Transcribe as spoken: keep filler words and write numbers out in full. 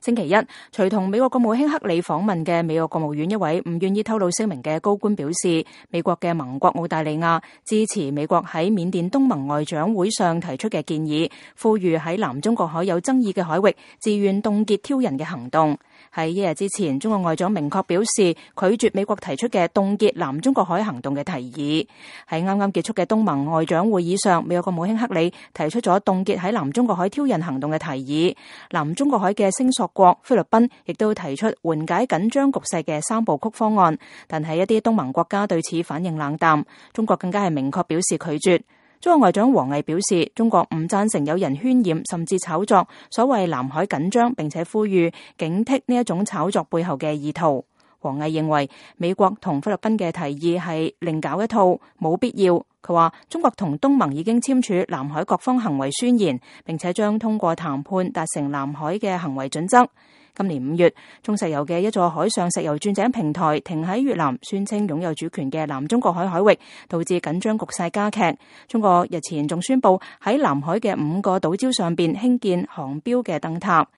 星期一，隨同美國國務卿克里訪問嘅美國國務院一位唔願意透露姓名嘅高官表示，美國嘅盟國澳大利亞支持美國喺緬甸東盟外長會上提出嘅建議，呼籲喺南中國海有爭議嘅海域自願凍結挑釁嘅行動。喺一日之前，中國外長明確表示拒絕美國提出嘅凍結南中國海行動嘅提議。喺啱啱結束嘅東盟外長會議上，美國國務卿克里提出咗凍結喺南中國海挑釁行動嘅提議。南中國海嘅聲索國菲律賓亦都提出緩解緊張局勢嘅三部曲方案，但係一啲東盟國家對此反應冷淡。中國更加係明確表示拒絕。中國外長王毅表示，中國唔贊成有人渲染甚至炒作所謂南海緊張，並且呼籲警惕呢一種炒作背後嘅意圖。王毅認為美國同菲律賓嘅提議係另搞一套，冇必要。佢話中國同東盟已經簽署南海各方行為宣言，並且將通過談判達成南海嘅行為準則。今年五月，中石油嘅一座海上石油鑽井平台停喺越南，宣稱擁有主權嘅南中國海海域，導致緊張局勢加劇。中國日前仲宣布喺南海嘅五個島礁上邊興建航標嘅燈塔。